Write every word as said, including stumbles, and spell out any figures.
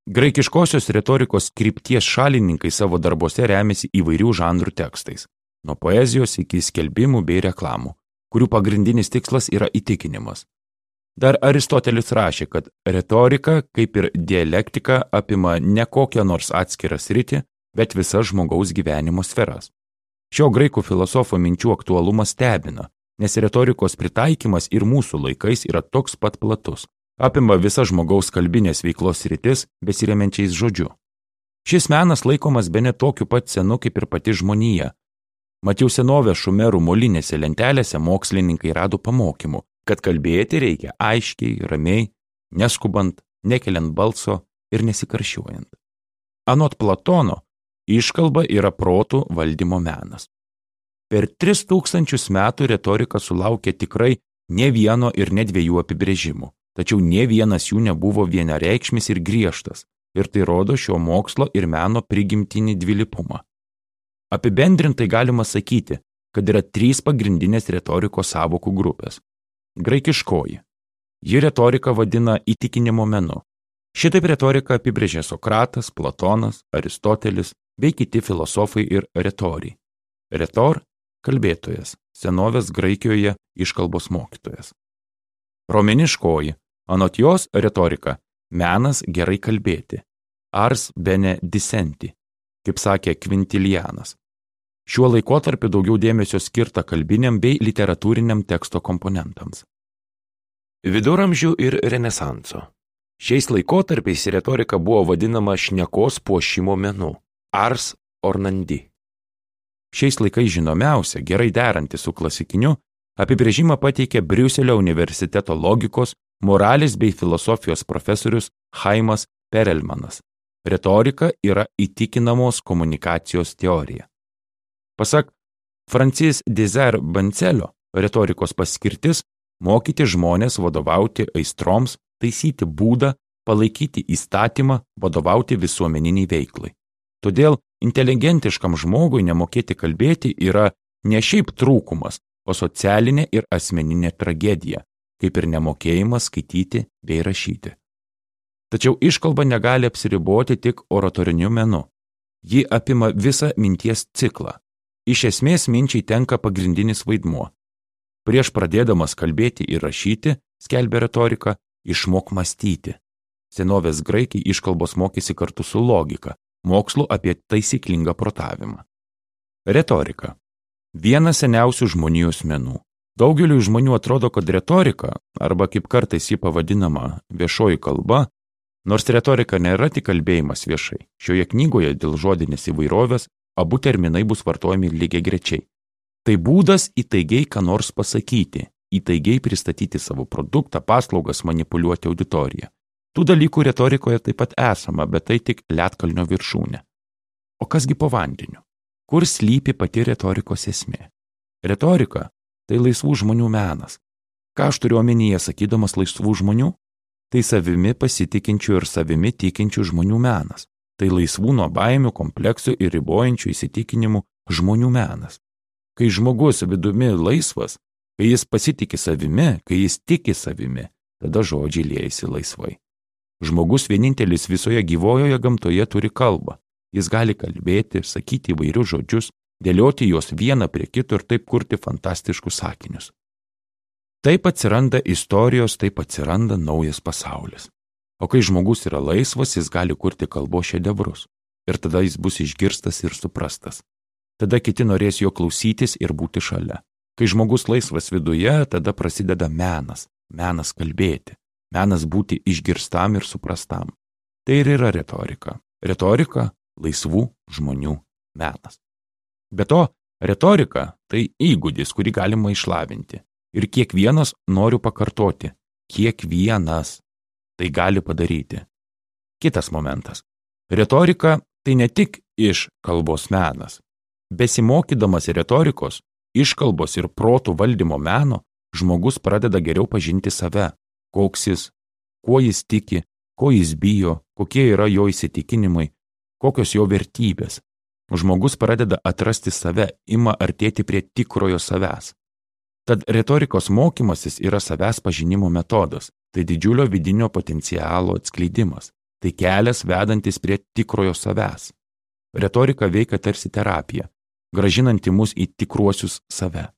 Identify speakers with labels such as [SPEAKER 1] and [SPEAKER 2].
[SPEAKER 1] Graikiškosios retorikos krypties šalininkai savo darbuose remiasi įvairių žanrų tekstais, nuo poezijos iki skelbimų bei reklamų, kurių pagrindinis tikslas yra įtikinimas. Dar Aristotelis rašė, kad retorika, kaip ir dialektika, apima ne kokią nors atskirą sritį, bet visas žmogaus gyvenimo sferas. Šio graikų filosofo minčių aktualumas stebina, nes retorikos pritaikymas ir mūsų laikais yra toks pat platus, apima visas žmogaus kalbinės veiklos sritis besiremiančiais žodžiu. Šis menas laikomas bene tokiu pat senu kaip ir pati žmonija. Mat jau senovės šumerų molinėse lentelėse mokslininkai rado pamokymų, kad kalbėti reikia aiškiai, ramiai, neskubant, nekeliant balso ir nesikarščiuojant. Anot Platono, iškalba yra protų valdymo menas. Per tris tūkstančius metų retorika sulaukė tikrai ne vieno ir ne dviejų apibrėžimų, tačiau ne vienas jų nebuvo vienareikšmis ir griežtas, ir tai rodo šio mokslo ir meno prigimtinį dvilypumą. Apibendrintai galima sakyti, kad yra trys pagrindinės retorikos sąvokų grupės. Graikiškoji. Ji retoriką vadina įtikinimo menu. Šitaip retoriką apibrėžė Sokratas, Platonas, Aristotelis bei kiti filosofai ir retoriai. Retor – kalbėtojas, senovės Graikijoje iškalbos mokytojas. Romėniškoji. Anot jos retorika – menas gerai kalbėti. Ars bene dicenti, kaip sakė Kvintilianas. Šiuo laikotarpiu daugiau dėmesio skirta kalbiniam bei literatūriniam teksto komponentams. Viduramžių ir Renesanso. Šiais laikotarpiais retorika buvo vadinama šnekos puošimo menu – ars ornandi. Šiais laikais žinomiausia, gerai deranti su klasikiniu, apibrėžimą pateikė Briuselio universiteto logikos, moralės bei filosofijos profesorius Chaimas Perelmanas. Retorika yra įtikinamos komunikacijos teorija. Pasak Francis Desire Bancelio, retorikos paskirtis – mokyti žmonės vadovauti aistroms, taisyti būdą, palaikyti įstatymą, vadovauti visuomeniniai veiklai. Todėl inteligentiškam žmogui nemokėti kalbėti yra ne šiaip trūkumas, o socialinė ir asmeninė tragedija, kaip ir nemokėjimas skaityti bei rašyti. Tačiau iškalba negali apsiriboti tik oratoriniu menu. Ji apima visą minties ciklą. Iš esmės minčiai tenka pagrindinis vaidmuo. Prieš pradėdamas kalbėti ir rašyti, skelbia retorika, išmok mąstyti. Senovės graikai iškalbos mokėsi kartu su logika, mokslu apie taisyklingą protavimą. Retorika. Vienas seniausių žmonijos menų. Daugeliui žmonių atrodo, kad retorika, arba kaip kartais ji pavadinama viešoji kalba, nors retorika nėra tik kalbėjimas viešai. Šioje knygoje dėl žodinės įvairovės abu terminai bus vartojami lygiagrečiai. Tai būdas įtaigiai ką nors pasakyti, įtaigiai pristatyti savo produktą, paslaugas, manipuliuoti auditoriją. Tų dalykų retorikoje taip pat esama, bet tai tik ledkalnio viršūnė. O kasgi po vandeniu? Kur slypi pati retorikos esmė? Retorika – tai laisvų žmonių menas. Ką aš turiu omenyje sakydamas laisvų žmonių? Tai savimi pasitikinčių ir savimi tikinčių žmonių menas. Tai laisvų nuo baimių, kompleksų ir ribojančių įsitikinimų žmonių menas. Kai žmogus vidumi laisvas, kai jis pasitiki savimi, kai jis tiki savimi, tada žodžiai liejasi laisvai. Žmogus vienintelis visoje gyvojoje gamtoje turi kalbą. Jis gali kalbėti, sakyti įvairius žodžius, dėlioti juos vieną prie kito ir taip kurti fantastiškus sakinius. Taip atsiranda istorijos, taip atsiranda naujas pasaulis. O kai žmogus yra laisvas, jis gali kurti kalbos šedevrus. Ir tada jis bus išgirstas ir suprastas. Tada kiti norės jo klausytis ir būti šalia. Kai žmogus laisvas viduje, tada prasideda menas. Menas kalbėti. Menas būti išgirstam ir suprastam. Tai ir yra retorika. Retorika – laisvų žmonių menas. Be to, retorika – tai įgūdis, kurį galima išlavinti. Ir kiekvienas, noriu pakartoti, kiekvienas tai gali padaryti. Kitas momentas. Retorika – tai ne tik iš kalbos menas. Besimokydamas retorikos, iškalbos ir protų valdymo meno, žmogus pradeda geriau pažinti save, koks jis, kuo jis tiki, ko jis bijo, kokie yra jo įsitikinimai, kokios jo vertybės. Žmogus pradeda atrasti save, ima artėti prie tikrojo savęs. Tad retorikos mokymasis yra savęs pažinimo metodas, tai didžiulio vidinio potencialo atskleidimas. Tai kelias vedantis prie tikrojo savęs. Retorika veikia tarsi terapija, grąžinanti mus į tikruosius save.